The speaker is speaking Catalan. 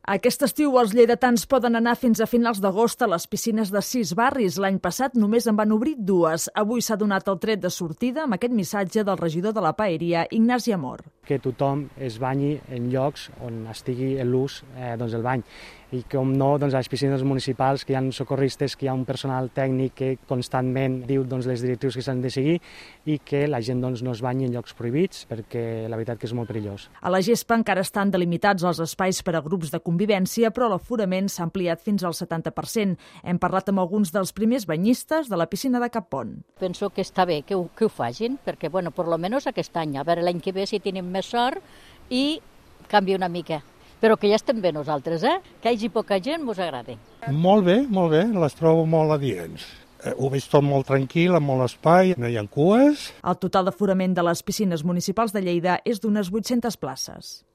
Aquest estiu els lleidatans poden anar fins a finals d'agost a les piscines de 6 barris. L'any passat només en van obrir 2. Avui s'ha donat el tret de sortida amb aquest missatge del regidor de la Paeria, Ignasi Amor. Que tothom es banyi en llocs on estigui l'ús del bany. I com no, a les piscines municipals, que hi ha socorristes, que hi ha un personal tècnic que constantment diu les directrius que s'han de seguir i que la gent no es banyi en llocs prohibits, perquè la veritat que és molt perillós. A la gespa encara estan delimitats els espais per a grups de convivència, però l'aforament s'ha ampliat fins al 70%. Hem parlat amb alguns dels primers banyistes de la piscina de Cappont. Penso que està bé que ho facin, perquè, bueno, per lo menos aquest any, a veure l'any que ve si tenim més sort i canvia una mica. Però que ja estem bé nosaltres, Que hi hagi poca gent mos agrada. Molt bé, les trobo molt adients. Ho veig tot molt tranquil, amb molt espai, no hi ha cues. El total d'aforament de les piscines municipals de Lleida és d'unes 800 places.